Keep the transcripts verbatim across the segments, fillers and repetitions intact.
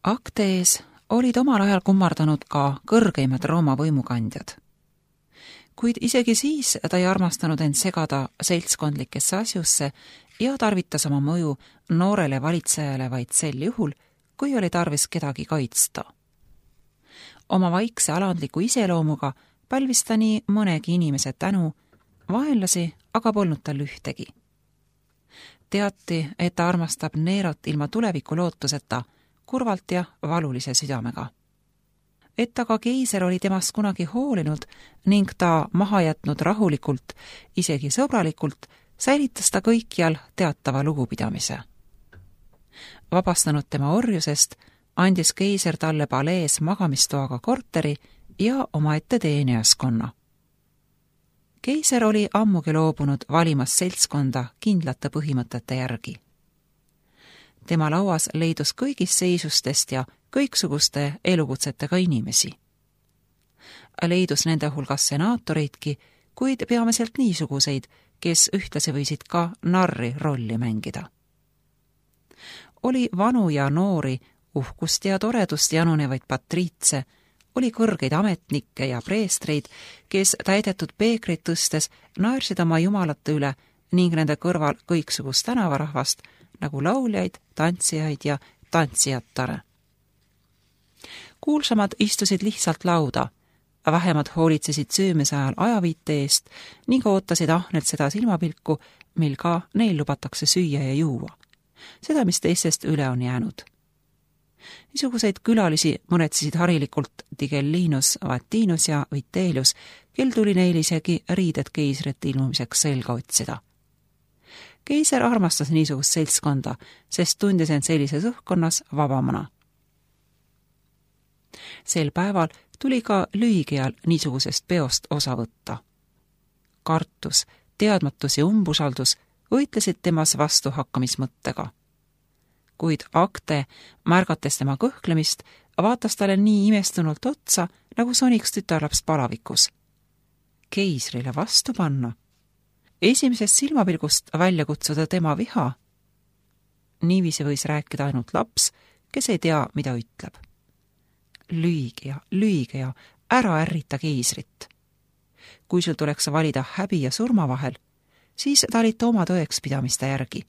Aktees olid omal ajal kummardanud ka kõrgeimad Rooma võimukandjad. Kuid isegi siis ta ei armastanud end segada seltskondlikesse asjusse ja tarvitas oma mõju noorele valitsejale vaid sel juhul, kui oli tarvis kedagi kaitsta. Oma vaikse alandliku iseloomuga pälvis ta nii mõnegi inimese tänu, vaenlasi aga polnud tal ühtegi. Teati, et ta armastab Nerot ilma tuleviku lootuseta, kurvalt ja valulise südamega. Et aga keiser oli temast kunagi hoolinud ning ta maha jätnud rahulikult, isegi sõbralikult, säilitas ta kõikjal teatava lugupidamise. Vabastanud tema orjusest, andis keiser talle palees magamistoaga korteri ja omaette teenijaskonna. Keiser oli ammugi loobunud valimas seltskonda kindlate põhimõtete järgi. Tema lauas leidus kõigist seisustest ja kõiksuguste elukutsetega inimesi. Leidus nende hulgas senaatoreidki, kuid peamiselt niisuguseid, kes ühtlasi võisid ka narri rolli mängida. Oli vanu ja noori, uhkust ja toredust janunevaid patriitse, oli kõrgeid ametnikke ja preestreid, kes täidetud peekreid tõstes naersid oma jumalate üle ning nende kõrval kõiksugust tänavarahvast, nagu lauljaid, tantsijaid ja tantsijatare. Kuulsamad istusid lihtsalt lauda, vähemad hoolitsesid söömise ajal ajaviite eest ning ootasid ahnelt seda silmapilku, mil ka neil lubatakse süüa ja juua. Seda, mis teistest üle on jäänud. Niisuguseid külalisi mõnetsisid harilikult Tigellinus, Vatinus ja Vitellius, kel tuli neil isegi riided keisrit ilmumiseks selga otsida. Keiser armastas niisugust seltskonda, sest tundis end sellises õhkkonnas vabamana. Sel päeval tuli ka Lüigial niisugusest peost osa võtta. Kartus, teadmatus ja umbusaldus võitlesid temas vastu hakkamismõttega. Kuid Akte, märgates tema kõhklemist, vaatas talle nii imestunult otsa, nagu soniks tütarlaps palavikus. Keisrile vastu panna. Esimesest silmapilgust välja kutsuda tema viha. Niiviisi võis rääkida ainult laps, kes ei tea, mida ütleb. Lüige ja, lüige ja, ära ärrita keisrit. Kui sul tuleks valida häbi ja surma vahel, siis talita oma tõekspidamiste järgi,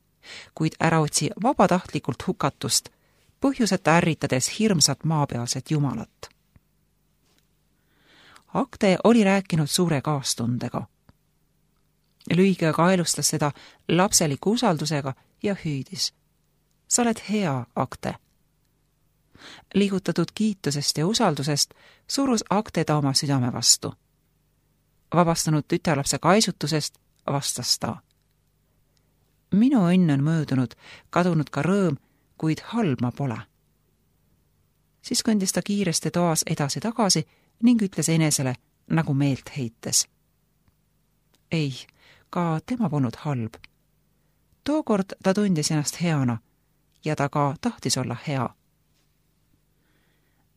kuid ära otsi vabatahtlikult hukatust, põhjuseta ärritades hirmsat maapealset jumalat. Akte oli rääkinud suure kaastundega. Lüige kaelustas seda lapseliku usaldusega ja hüüdis. Sa oled hea, Akte. Liigutatud kiitusest ja usaldusest surus Akte ta oma südame vastu. Vabastanud tütarlapse kaisutusest vastas ta. Minu õnn on möödunud, kadunud ka rõõm, kuid halb ma pole. Siis kõndis ta kiiresti toas edasi-tagasi ning ütles enesele, nagu meelt heites. Ei, ka tema polnud halb. Tookord ta tundis ennast heana ja ta ka tahtis olla hea.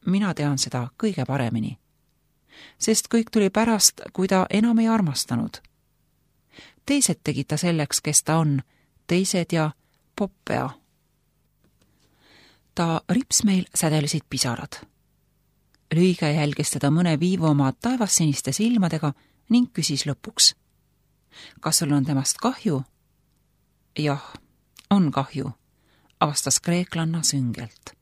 Mina tean seda kõige paremini, sest kõik tuli pärast, kui ta enam ei armastanud. Teised tegid ta selleks, kes ta on, teised ja Poppea. Ta ripsmeil sädelisid pisarad. Lüige jälgis teda mõne viivu oma taevassiniste silmadega ning küsis lõpuks. Kas sul on temast kahju? Jah, on kahju, avastas kreeklanna süngelt.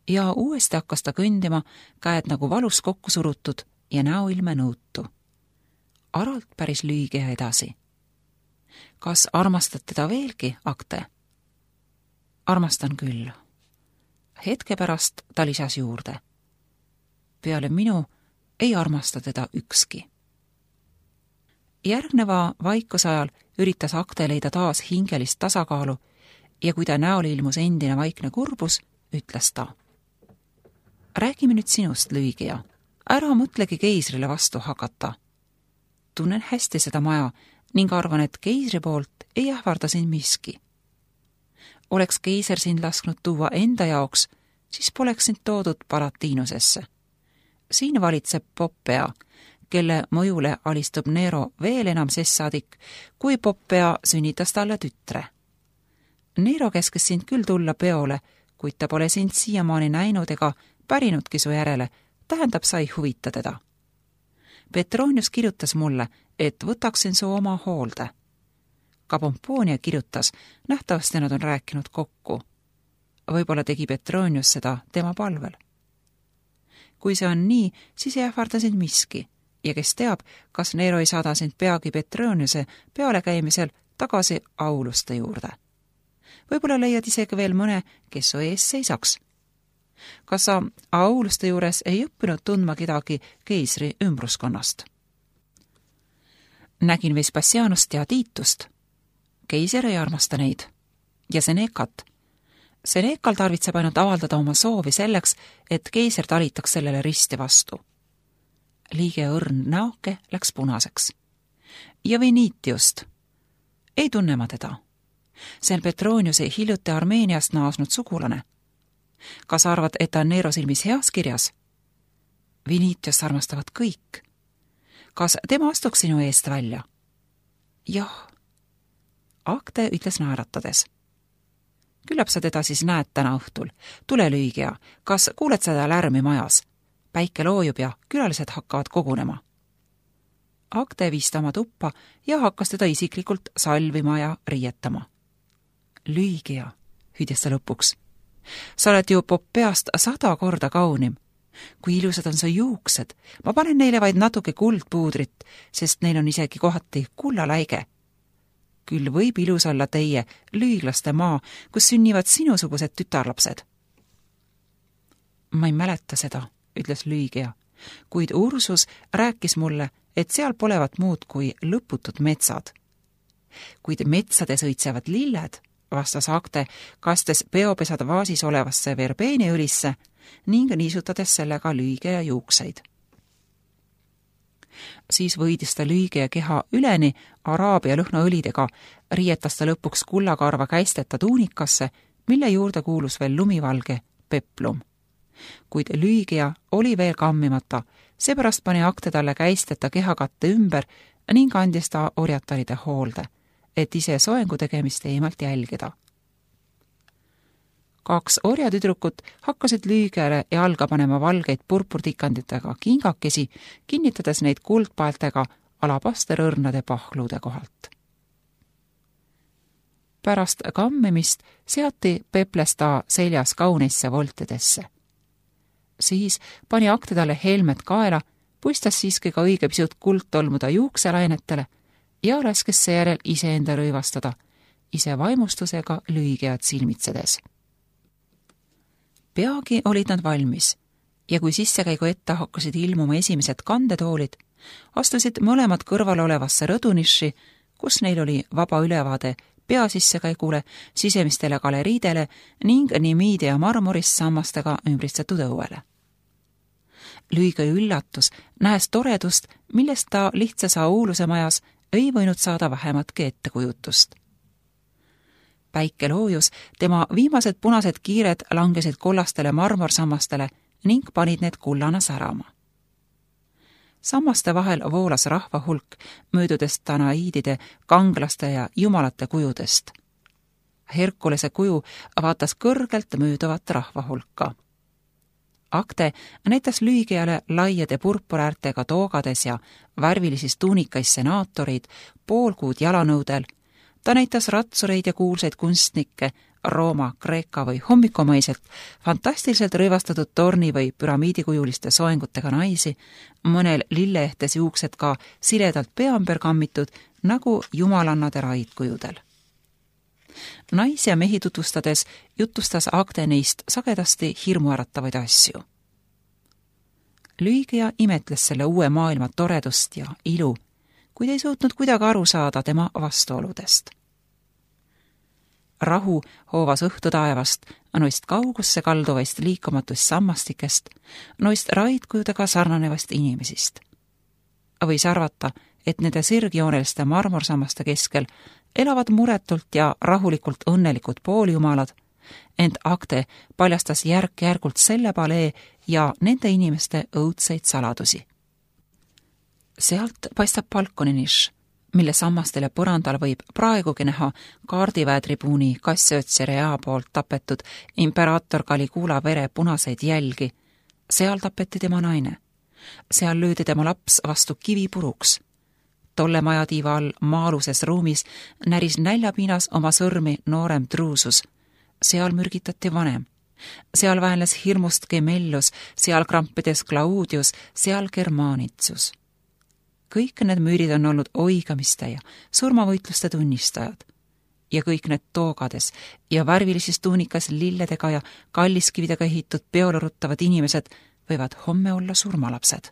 Ja uuesti hakkas ta kõndima, käed nagu valus kokku surutud ja näoilme nõutu. Aralt päris lüige edasi. Kas armastad teda veelgi, Akte? Armastan küll. Hetke pärast ta lisas juurde. Peale minu ei armasta teda ükski. Järgneva vaikusajal üritas Akte leida taas hingelist tasakaalu ja kui ta näol ilmus endine vaikne kurbus, ütles ta. Räägime nüüd sinust, Lüigija. Ära mõtlegi keisrile vastu hakata. Tunnen hästi seda maja ning arvan, et keisri poolt ei ähvarda sind miski. Oleks keiser sind lasknud tuua enda jaoks, siis poleks sind toodud Palatinusesse. Siin valitseb Poppea, kelle mõjule alistub Nero veel enam sessadik, kui Poppea sünnitas talle tütre. Nero käskis sind küll tulla peole, kuid ta pole sind siiamaani näinud ega pärinudki su järele, tähendab, sa ei huvita teda. Petronius kirjutas mulle, et võtaksin su oma hoolde. Ka Pomponia kirjutas, nähtavasti nad on rääkinud kokku. Võib-olla tegi Petronius seda tema palvel. Kui see on nii, siis ei ähvarda sind miski ja kes teab, kas Nero ei saada sind peagi Petroniuse pealekäimisel tagasi Auluste juurde. Võib-olla leiad isegi veel mõne, kes su ees seisaks. Kas sa Auluste juures ei õppinud tundma kedagi keisri ümbruskonnast? Nägin Vespasianust ja Tiitust. Keiser ei armasta neid. Ja Senecat. Senekal tarvitseb ainult avaldada oma soovi selleks, et keiser talitaks sellele risti vastu. Liige õrn näoke läks punaseks. Ja Venitiust. Ei tunne ma teda. See on Petroniuse hiljuti Armeeniast naasnud sugulane. Kas arvad, et ta on Nero silmis heas kirjas? Venitiust armastavad kõik. Kas tema astuks sinu eest välja? Jah. Akte ütles naeratades. Küllap sa teda siis näed täna õhtul. Tule lüügia, kas kuuled seda lärmi majas? Päike loojub ja külalised hakkavad kogunema. Akte viis ta oma tuppa ja hakkas teda isiklikult salvima ja riietama. Lüügia, hüüdis ta lõpuks. Sa oled ju Poppeast sada korda kaunim. Kui ilusad on su juuksed, ma panen neile vaid natuke kuldpuudrit, sest neil on isegi kohati kullaläige. Küll võib ilus olla teie lüiglaste maa, kus sünnivad sinusugused tütarlapsed. Ma ei mäleta seda, ütles Lüügia, kuid Ursus rääkis mulle, et seal polevat muud kui lõputud metsad. Kuid metsades õitsevad lilled, vastas Akte, kastes peopesad vaasis olevasse verbeeniõlisse ning niisutades sellega Lüügia juukseid. Siis võidis ta Lüügia keha üleni araabia lõhnaõlidega, riietas ta lõpuks kullakarva käisteta tuunikasse, mille juurde kuulus veel lumivalge peplum. Kuid Lüügia oli veel kammimata, seepärast pani Akte talle käisteta kehakatte ümber ning andis ta orjataride hoolde, et ise soengu tegemist eemalt jälgida. Kaks orjatüdrukut hakkasid Lüügiale jalga panema valgeid purpurtikanditega kingakesi, kinnitades neid kuldpaeltega alapasterõrnade pahlude kohalt. Pärast kammimist seati Peples ta seljas kauneisse voltidesse. Siis pani Akte talle helmed kaela, puistas siiski ka õige pisut kuld tolmuda juukselainetele ja laskes seejärel iseenda rõivastada, ise vaimustusega Lüügiat silmitsedes. Peagi olid nad valmis ja kui sissekäigu ette hakkasid ilmuma esimesed kandetoolid, astusid mõlemad kõrval olevasse rõduniši, kus neil oli vaba ülevaade peasissekäigule, sisemistele galeriidele ning nimiide ja marmorist sammastega ümbritsetud õuele. Lüügia üllatus, nähes toredust, millest ta lihtsas Auluse majas ei võinud saada vähematki ettekujutust. Päike loojus, tema viimased punased kiired langesid kollastele marmorsammastele ning panid need kullana särama. Sammaste vahel voolas rahva hulk, möödudes Danaiidide, kanglaste ja jumalate kujudest. Herkulese kuju vaatas kõrgelt mööduvat rahva hulka. Akte näitas Lüügiale laiade purpuraärtega toogades ja värvilisis tuunikais senaatoreid, poolkuud jalanõudel. Ta näitas ratsureid ja kuulsaid kunstnikke, Rooma, Kreeka või hommikumaiselt, fantastiliselt rõivastatud torni või püramiidikujuliste soengutega naisi, mõnel lilleehtes juuksed ka siledalt pea ümber kammitud, nagu jumalannade raidkujudel. Naisi ja mehi tutvustades jutustas Akte neist sagedasti hirmuäratavaid asju. Lüügia imetles selle uue maailma toredust ja ilu, kuid ei suutnud kuidagi aru saada tema vastuoludest. Rahu hoovas õhtu taevast, noist kaugusse kalduvaist liikumatust sammastikest, noist raidkujudega sarnanevast inimesist. Võis arvata, et nende sirgjooneliste marmorsammaste keskel elavad muretult ja rahulikult õnnelikud pooljumalad, ent Akte paljastas järk-järgult selle palee ja nende inimeste õudseid saladusi. Sealt paistab balkoniniš, mille sammastel ja põrandal võib praegugi näha kaardiväetribuuni Cassiodserea poolt tapetud imperaator Caligula vere punaseid jälgi. Seal tapeti tema naine. Seal löödi tema laps vastu kivipuruks. Tolle majatiiva all maaluses ruumis näris näljapiinas oma sõrmi noorem Drusus. Seal mürgitati vanem. Seal väänles hirmust Gemellus, seal krampides Claudius, seal Germanitsus. Kõik need müürid on olnud oigamiste ja surmavõitluste tunnistajad. Ja kõik need toogades ja värvilises tuunikas lilledega ja kalliskividega ehitud peole ruttavad inimesed võivad homme olla surmalapsed.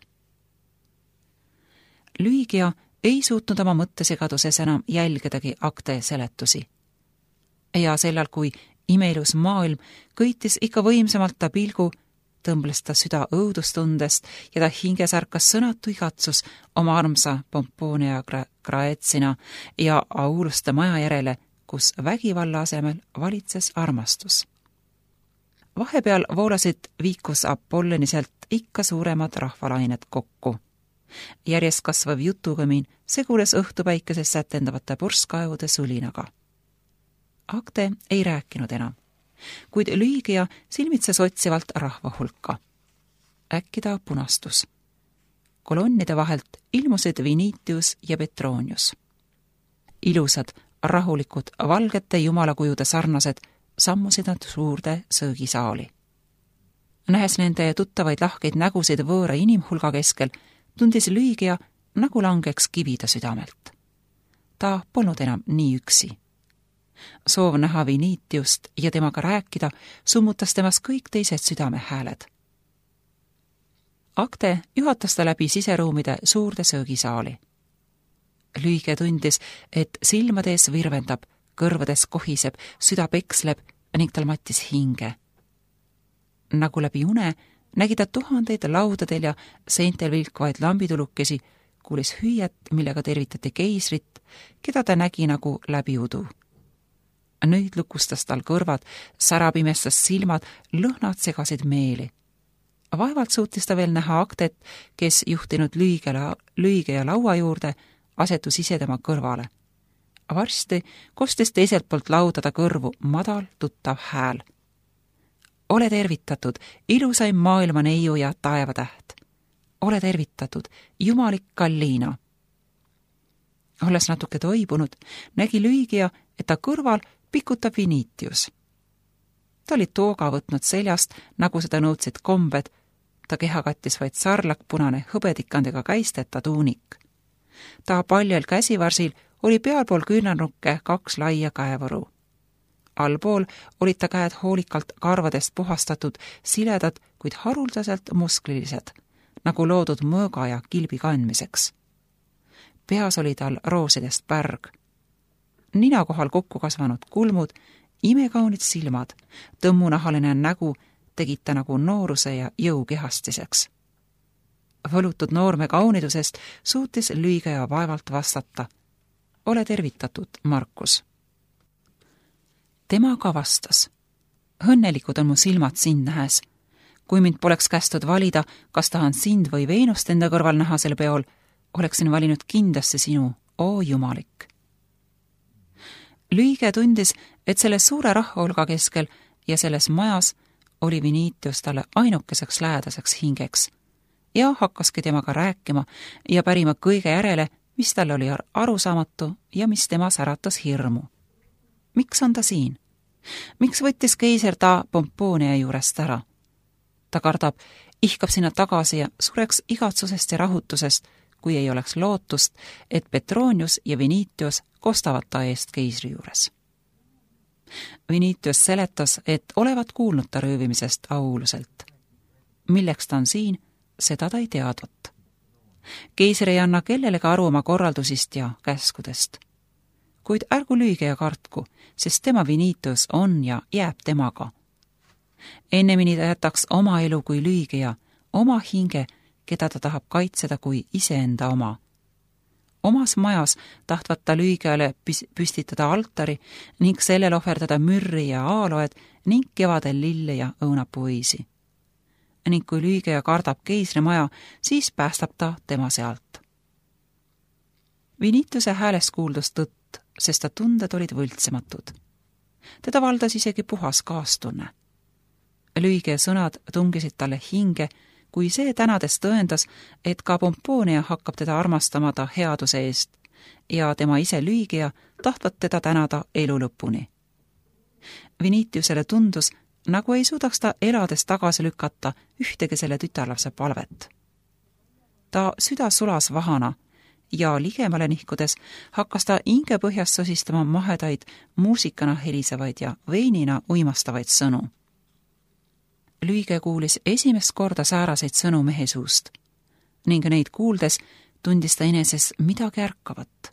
Lygia ei suutnud oma mõttesigaduses enam jälgedagi akte seletusi. Ja sellal, kui imeilus maailm kõitis ikka võimsamalt ta pilgu, tõmbles ta süda õudustundest ja ta hinges ärkas sõnatu igatsus oma armsa Pomponia Graecina ja Auluste maja järele, kus vägivalla asemel valitses armastus. Vahepeal voolasid viikus Apolloniselt ikka suuremad rahvalained kokku. Järjest kasvav jutugõmin segules õhtupäikeses sätendavate purskkaevude sulinaga. Akte ei rääkinud enam, kuid Lygia silmitses otsivalt rahva hulka. Äkki ta punastus. Kolonnide vahelt ilmusid Vinitius ja Petronius. Ilusad, rahulikud, valgete jumalakujude sarnased sammusid nad suurde söögisaali. Nähes nende tuttavaid lahkeid nägusid võõra inimhulga keskel, tundis Lygia, nagu langeks kivida südamelt. Ta polnud enam nii üksi. Soov näha Vinitiust ja temaga rääkida summutas temas kõik teised südamehääled. Akte juhatas ta läbi siseruumide suurde söögisaali. Lygia tundis, et silmades virvendab, kõrvades kohiseb, süda peksleb ning tal mattis hinge. Nagu läbi une nägi ta tuhandeid laudadel ja seintel vilkvaid lambitulukesi, kuulis hüüet, millega tervitati keisrit, keda ta nägi nagu läbi udu. Nüüd lukustas tal kõrvad, sära pimestas silmad, lõhnad segasid meeli. Vaevalt suutis ta veel näha Aktet, kes juhtinud Lygia laua juurde, asetus ise tema kõrvale. Varsti kostis teiselt poolt laudada kõrvu madal tuttav hääl. Ole tervitatud, ilusaim maailma neiu ja taevatäht. Ole tervitatud, jumalik Galliina. Olles natuke toibunud, nägi Lygia, et ta kõrval pikutab Vinitius. Ta oli tooga võtnud seljast, nagu seda nõudsid kombed, ta keha kattis vaid sarlakpunane hõbedikandega käisteta tuunik. Ta paljal käsivarsil oli pealpool küünarnukke kaks laia käevaru. Allpool olid ta käed hoolikalt karvadest puhastatud, siledad, kuid haruldaselt musklilised, nagu loodud mõõga ja kilbi kandmiseks. Peas oli tal roosidest pärg. Nina kohal kokku kasvanud kulmud, imekaunid silmad, tõmmunahaline nägu tegid ta nagu nooruse ja jõu kehastiseks. Võlutud noorme kaunidusest suutis Lygia vaevalt vastata. Ole tervitatud, Markus. Tema ka vastas. Õnnelikud on mu silmad sind nähes. Kui mind poleks kästud valida, kas tahan sind või Veenust enda kõrval näha sel peol, oleksin valinud kindlasti sinu, oo jumalik. Lygia tundis, et selle suure rahvahulga keskel ja selles majas oli Vinitius talle ainukeseks lähedaseks hingeks ja hakkaski temaga rääkima ja pärima kõige järele, mis talle oli arusaamatu ja mis temas äratas hirmu. Miks on ta siin? Miks võttis keiser ta Pomponia juurest ära? Ta kardab, ihkab sinna tagasi ja sureks igatsusest ja rahutusest, kui ei oleks lootust, et Petronius ja Vinitius kostavad ta eest keisri juures. Vinitius seletas, et olevat kuulnud ta röövimisest Auluselt. Milleks ta on siin, seda ta ei teadvat. Keiser ei anna kellelegi aru oma korraldusist ja käskudest. Kuid ärgu Lygia kartku, sest tema Vinitius on ja jääb temaga. Ennemini ta jätaks oma elu kui Lygia, oma hinge, keda ta tahab kaitseda kui iseenda oma. Omas majas tahtvat ta Lygiale püstitada altari ning sellel ohverdada mürri ja aaloed ning kevadel lille ja õunapuisi. Ning kui Lygia kardab keisri maja, siis päästab ta tema sealt. Vinitiuse häälest kuuldus tõtt, sest ta tunded olid võltsematud. Teda valdas isegi puhas kaastunne. Lüige sõnad tungisid talle hinge, kui see tänades tõendas, et ka Pomponia hakkab teda armastama ta headuse eest ja tema ise Lüigea tahtvat teda tänada elu lõpuni. Vinitiusele tundus, nagu ei suudaks ta elades tagasi lükata ühtegi selle tütarlapse palvet. Ta süda sulas vahana ja ligemale nihkudes hakkas ta hinge põhjast sosistama mahedaid, muusikana helisevaid ja veinina uimastavaid sõnu. Lüige kuulis esimest korda sääraseid sõnu mehe suust ning neid kuuldes tundis ta eneses midagi ärkavat.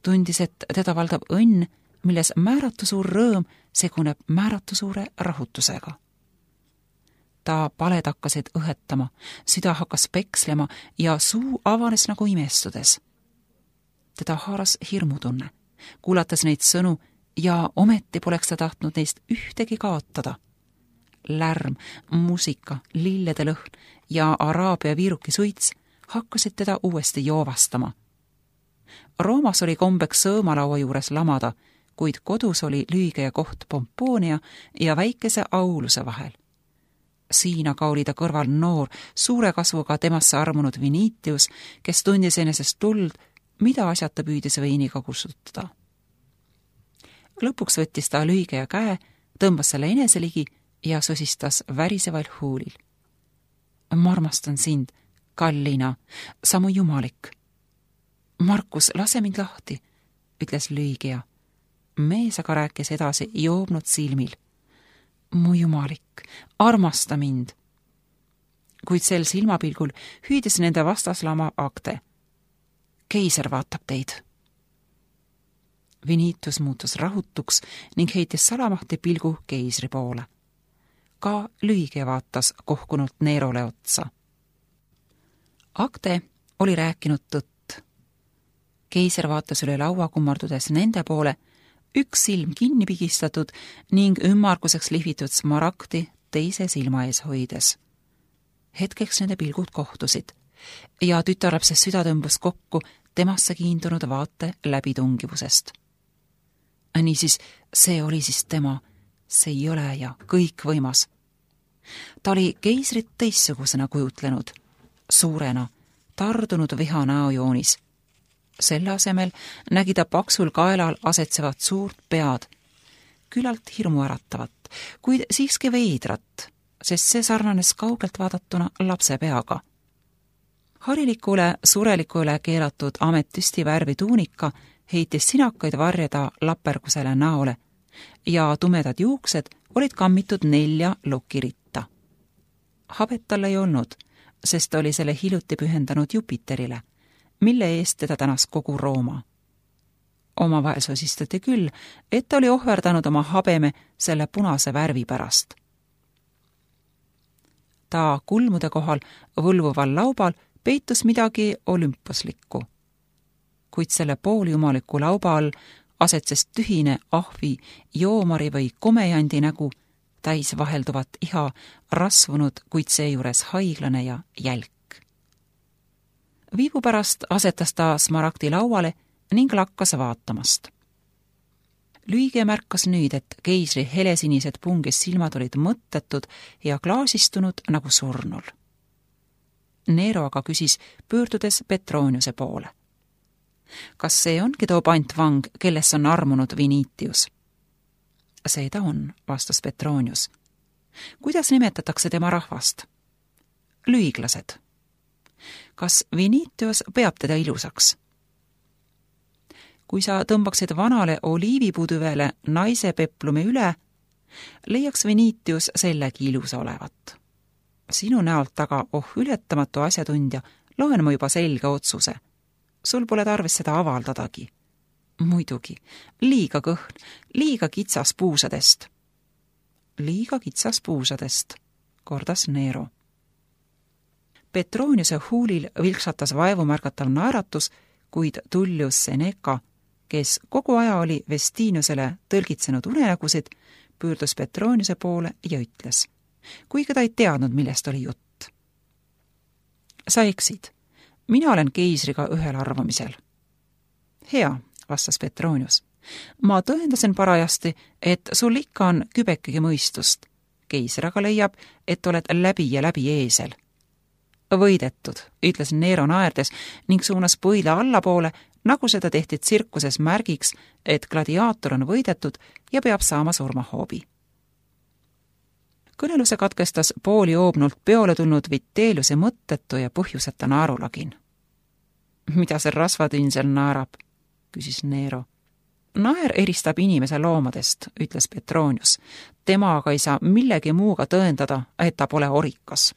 Tundis, et teda valdab õnn, milles määratu suur rõõm seguneb määratu suure rahutusega. Ta paled hakkasid õhetama, süda hakkas pekslema ja suu avanes nagu imestudes. Teda haaras hirmutunne, kuulates neid sõnu ja ometi poleks ta tahtnud neist ühtegi kaotada. Lärm, muusika, lillede lõhn ja araabia viiruki suits hakkasid teda uuesti joovastama. Roomas oli kombeks sõõmalaua juures lamada, kuid kodus oli Lüige koht Pomponia ja väikese auluse vahel. Siin aga oli ta kõrval noor, suure kasvuga temasse armunud Vinitius, kes tundis enesest tuld, mida asjata püüdis veiniga kustutada. Lõpuks võttis ta Lüige käe, tõmbas selle enese ligi ja sosistas väriseval huulil. Ma armastan sind, kallina, sa mu jumalik. Markus, lase mind lahti, ütles Lüigea. Mees aga rääkis edasi joobnud silmil. Mu jumalik, armasta mind. Kuid sel silmapilgul hüüdis nende vastaslama Akte. Keiser vaatab teid. Vinitus muutus rahutuks ning heitis salamahti pilgu keisri poole. Ka Lüige vaatas kohkunult Nerole otsa. Akte oli rääkinud tõtt. Keiser vaatas üle laua kummardudes nende poole, üks silm kinni pigistatud ning ümmarguseks lihvitud smaragdi teise silma ees hoides. Hetkeks nende pilgud kohtusid ja tütarlapse süda tõmbus kokku temasse kiindunud vaate läbitungivusest. Niisiis, see oli siis tema, see jõle ja kõikvõimas. Ta oli keisrit teissugusena kujutlenud, suurena, tardunud viha näojoonis. Selle asemel nägi ta paksul kaelal asetsevat suurt pead, küllalt hirmuäratavat, kuid siiski veidrat, sest see sarnanes kaugelt vaadatuna lapse peaga. Harilikule surelikule keelatud ametüsti värvi tuunika heitis sinakaid varjeda lapergusele näole ja tumedad juuksed olid kammitud nelja lokiritta. Habet tal ei olnud, sest oli selle hiljuti pühendanud Jupiterile, mille eest teda tänas kogu Rooma. Omavahel sosistati küll, et ta oli ohverdanud oma habeme selle punase värvi pärast. Ta kulmude kohal võlvuval laubal peitus midagi olümposlikku, kuid selle pooljumaliku lauba all asetses tühine ahvi, joomari või komejandi nägu, täis vahelduvat iha, rasvunud, kuid seejuures haiglane ja jälk. Viivu pärast asetas ta smaragdi lauale ning lakkas vaatamast. Lüige märkas nüüd, et keisri helesinised pungis silmad olid mõttetud ja klaasistunud nagu surnul. Nero aga küsis, pöördudes Petroniuse poole. Kas see ongi too pantvang, kelles on armunud Vinitius? See ta on, vastas Petronius. Kuidas nimetatakse tema rahvast? Lüiglased. Kas Vinitius peab teda ilusaks? Kui sa tõmbaksid vanale oliivipuduvele naise peplumi üle, leiaks Vinitius sellegi ilusa olevat. Sinu näolt aga, oh ületamatu asjatundja, loen ma juba selge otsuse. Sul pole tarvis seda avaldadagi. Muidugi, liiga kõhn, liiga kitsas puusadest. Liiga kitsas puusadest, kordas Nero. Petroniuse huulil vilksatas vaevumärgatav naeratus, kuid Tullius Seneca, kes kogu aja oli Vestiniusele tõlgitsenud unenägusid, pöördus Petroniuse poole ja ütles, kuigi ta ei teadnud, millest oli jutt. Sa eksid. Mina olen keisriga ühel arvamisel. hea, vastas Petronius. Ma tõendasin parajasti, et sul ikka on kübekegi mõistust. Keiser aga leiab, et oled läbi ja läbi eesel. Võidetud, ütles Nero naerdes ning suunas põila allapoole, nagu seda tehti tsirkuses märgiks, et gladiaator on võidetud ja peab saama surmahoobi. Kõneluse katkestas pooli joobnult peole tulnud Vitelliuse mõttetu ja põhjuseta naerulagin. Mida see rasvatünn seal naerab? Küsis Nero. Naer eristab inimese loomadest, ütles Petronius. Tema aga ei saa millegi muuga tõendada, et ta pole orikas.